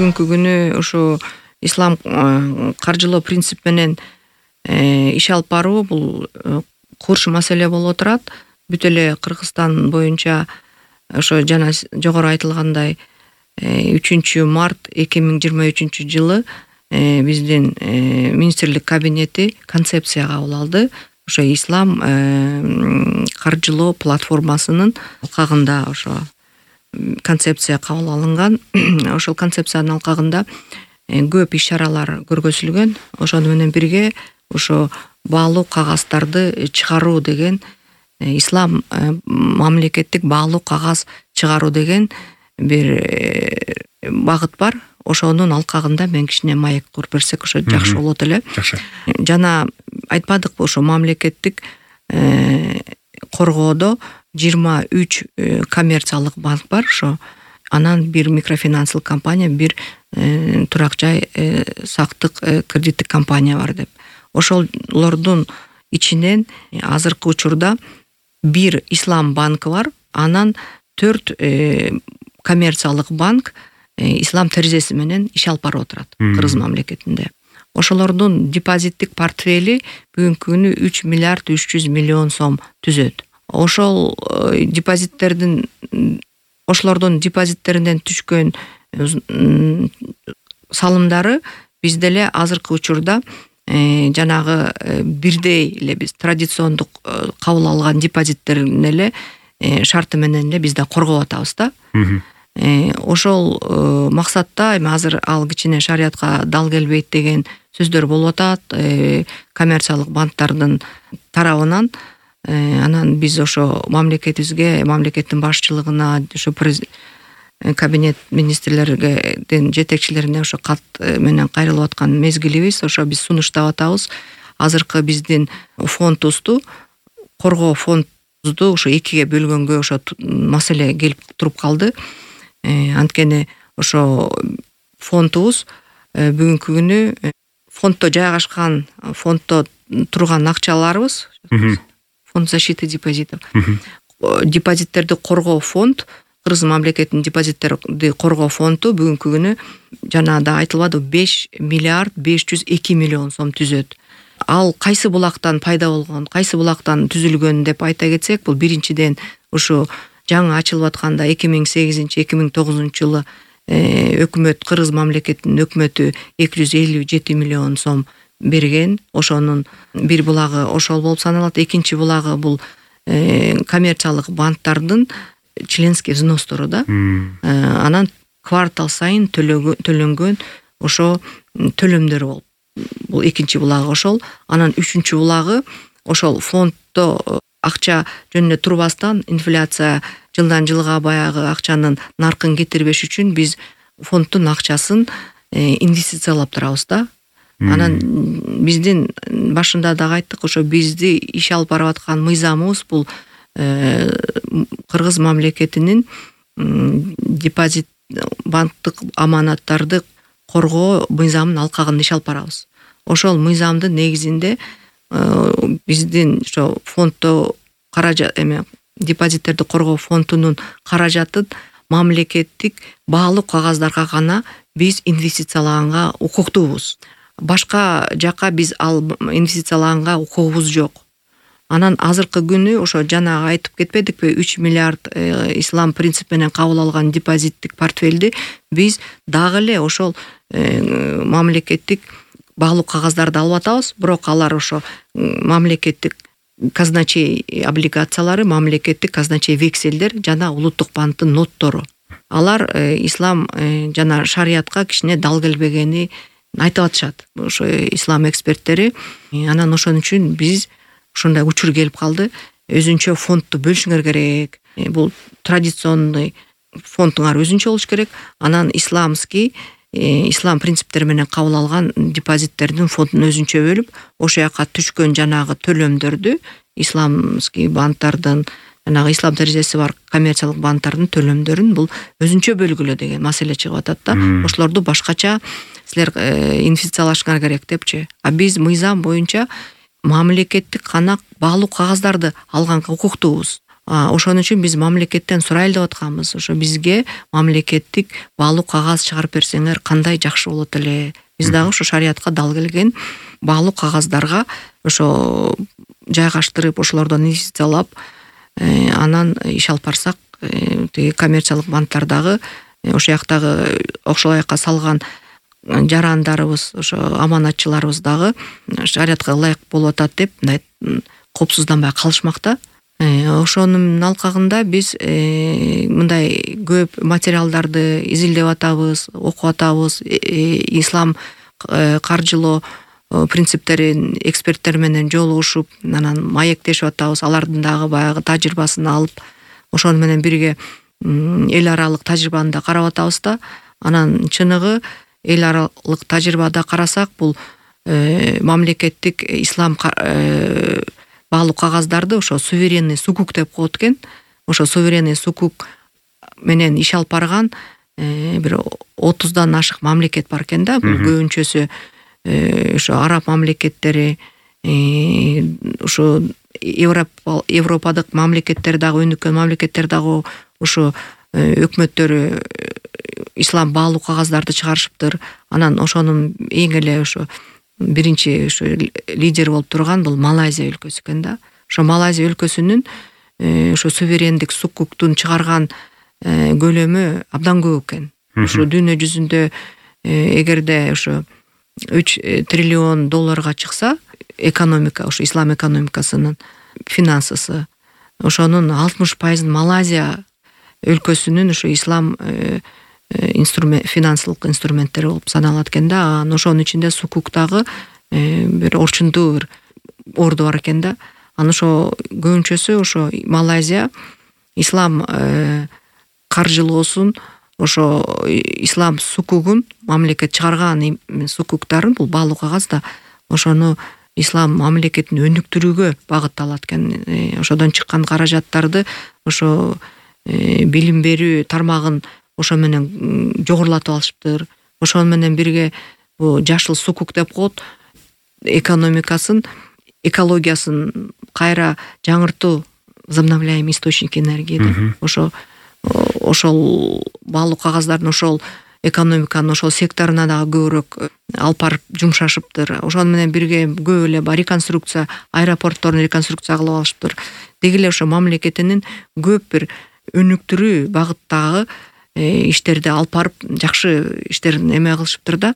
бүгүнкү күнү ушу ислам каржылоо принцип менен иш алып баруу бул курч маселе болуп отурат. Бүт эле Кыргызстан боюнча ошо жана жогору айтылгандай 3 март 2023 жылы биздин министрлик кабинети концепция кабыл алды. Ошо ислам каржылоо платформасынын алкагында ошо концепция кабыл алынган. Ошол концепциянын алкагында көп иш-чаралар көргөзүлгөн. Ошону менен бирге ошо баалуу кагаздарды чыгаруу деген ислам мамлекеттик баалуу кагаз чыгаруу деген бир багыт бар. Ошонун алкагында мен кичине маек куруп берсек ошо жакшы болот эле. Жакшы. Жана айтпадыкпы ошо мамлекеттик коргоодо 23 коммерциялык банк бар. Ошо анан бир микрофинансылык компания, бир турак жай сактык кредиттик компания бар деп. Ошолордун ичинен азыркы учурда бир ислам банкы бар. Анан 4 коммерциялык банк ислам терезеси менен иш алып барып отурат Кыргыз мамлекетинде. Ошолордун депозиттик портфели бүгүнкү күнү 3 миллиард 300 миллион сом түзөт. Ошолордун депозиттеринен түшкөн салымдары бизде эле азыркы учурда жанагы бирдей эле биз традициондук кабыл алган депозиттерин эле шарты менен эле бизде коргоп атабыз да. Ошол максатта эми азыр ал кичине шариятка дал келбейт деген сөздөр болуп атат коммерциялык банктардын тарабынан. Анан биз ошо мамлекетибизге, мамлекеттин башчылыгына, ошо кабинет министрлердин жетекчилерине ошо кат менен кайрылып аткан мезгилибиз. Ошо биз сунуштап атабыз. Азыркы биздин фондубузду, коргоо фондубузду ошо экиге бөлгөнгө ошо маселе келип туруп калды. Анткени ошо фондубуз бүгүнкү күнү фонддо жайгашкан, фонддо турган акчаларыбыз, фонд защиты депозитов, депозиттерди коргоо фонд, Кыргыз мамлекетинин депозиттерди коргоо фонду бүгүнкү күнү жанагыда айтылбады 5 миллиард 502 миллион сом түзөт. Ал кайсы булактан пайда болгон, кайсы булактан түзүлгөн деп айта кетсек, бул биринчиден ушу жаңы ачылып атканда 2008-2009 жылы өкмөт, Кыргыз мамлекетинин өкмөтү 257 миллион сом берген. Ошонун бир булагы ошол болуп саналат. Экинчи булагы бул коммерциялык банктардын членский взностору да. Анан квартал сайын төлөнгөн ошо төлөмдөр болуп. Бул экинчи булагы ошол. Анан үчүнчү булагы ошол фонддо акча жөнүнө турбастан инфляция жылдан жылга баягы акчанын наркын кетирбеш үчүн биз фонддун акчасын инвестициялап турабыз да. Анан биздин башында дагы айттык, ошо бизди иш алып барып аткан мыйзамыбыз бул Кыргыз мамлекетинин депозит банктык аманаттарды коргоо мыйзамынын алкагында иш алып барабыз. Ошол мыйзамдын негизинде биздин ошо фонддо каражат депозиттерди коргоо фондунун каражатын мамлекеттик баалуу кагаздарга гана биз инвестициялаганга укуктуубуз. Башка жака биз ал инвестициялаганга укугубуз жок. Анан азыркы күнү ошо жана айтып кетпедикпи, 3 миллиард ислам принцип менен кабыл алган депозиттик портфелди биз дагы эле ошол мамлекеттик баалуу кагаздарды алып атабыз. Бирок алар ошо мамлекеттик казначей облигациялары, мамлекеттик казначей векселдер жана улуттук банктын ноттору. Алар ислам жана шариятка кичине дал келбегени айтып атышат ошо ислам эксперттери. Анан ошон үчүн биз ушундай учур келип калды. Өзүнчө фондду бөлүшүңөр керек. Бул традиционный фондуңар өзүнчө болуш керек. Анан исламский ислам принциптери менен кабыл алган депозиттердин фондун өзүнчө бөлүп, ошо жака түшкөн жанагы төлөмдөрдү исламский банктардын, жанагы ислам терезеси бар коммерциялык банктардын төлөмдөрүн бул өзүнчө бөлгүлө деген маселе чыгып атат да. Ошолорду башкача силер инвестициялашыңар керек депчи. А биз мыйзам боюнча мамлекеттик гана баалуу кагаздарды алганга укуктуубуз. Ошон үчүн биз мамлекеттен сурайлы деп атканбыз. Ошо бизге мамлекеттик баалуу кагаз чыгарып берсеңер кандай жакшы болот эле. Биз дагы ошо шариятка дал келген баалуу кагаздарга ошо жайгаштырып, ошолордон инвестициялап, анан иш алып барсак, тиги коммерциялык банктардагы ошол жактагы ошол жака салган жарандарыбыз, ошо аманатчыларыбыз дагы шариятка ылайык болуп атат деп мындай коопсузданбай калышмакта. Ошонун алкагында биз мындай көп материалдарды изилдеп атабыз, окуп атабыз, ислам каржылоо принциптерин эксперттер менен жолугушуп, анан маектешип атабыз. Алардын дагы баягы тажрыйбасын алып, ошону менен бирге эл аралык тажрыйбаны да карап атабыз да. Анан чыныгы эл аралык тажрыйбада карасак, бул мамлекеттик ислам баалуу кагаздарды ошо суверенный сукук деп коет экен. Ошо суверенный сукук менен иш алып барган бир 30дан ашык мамлекет бар экен да. Бул көбүнчөсү ошо араб мамлекеттери, ошо Европадык мамлекеттер дагы, өнүккөн мамлекеттер дагы ошо өкмөттөрү ислам баалуу кагаздарды чыгарышыптыр. Анан ошонун эң эле ошо биринчи ошо лидер болуп турган бул Малайзия өлкөсү экен да. Ошо Малайзия өлкөсүнүн ошо суверендик сукуктун чыгарган көлөмү абдан көп экен. Ошо дүйнө жүзүндө эгерде ошо 3 триллион долларга чыкса, экономика, ошо ислам экономикасынын финансысы, ошонун 60% Малайзия өлкөсүнүн ошо ислам финансылык инструменттери болуп саналат экен да. Ошонун ичинде сукуктагы бир орчундуу бир орду бар экен да. Анан ошо көбүнчөсү ошо Малайзия ислам каржылоосун, ошо ислам сукугун, мамлекет чыгарган сукуктарын, бул баалуу кагаз да, ошону ислам мамлекетин өнүктүрүүгө багытталат экен. Ошодон чыккан каражаттарды ошо билим берүү тармагын ошо менен жогорулатып алышыптыр. Ошону менен бирге бул жашыл сукук деп коет, экономикасын, экологиясын кайра жаңыртуу, возобновляемый источник энергии. Ошол баалуу кагаздардын ошол экономиканын ошол секторуна дагы көбүрөөк алып барып жумшашыптыр. Ошону менен бирге көп эле реконструкция, аэропортторун реконструкция кылып алышыптыр. Деги эле ошо мамлекетинин көп бир өнүктүрүү багыттагы иштерди алып барып, жакшы иштерин эме кылышыптыр да.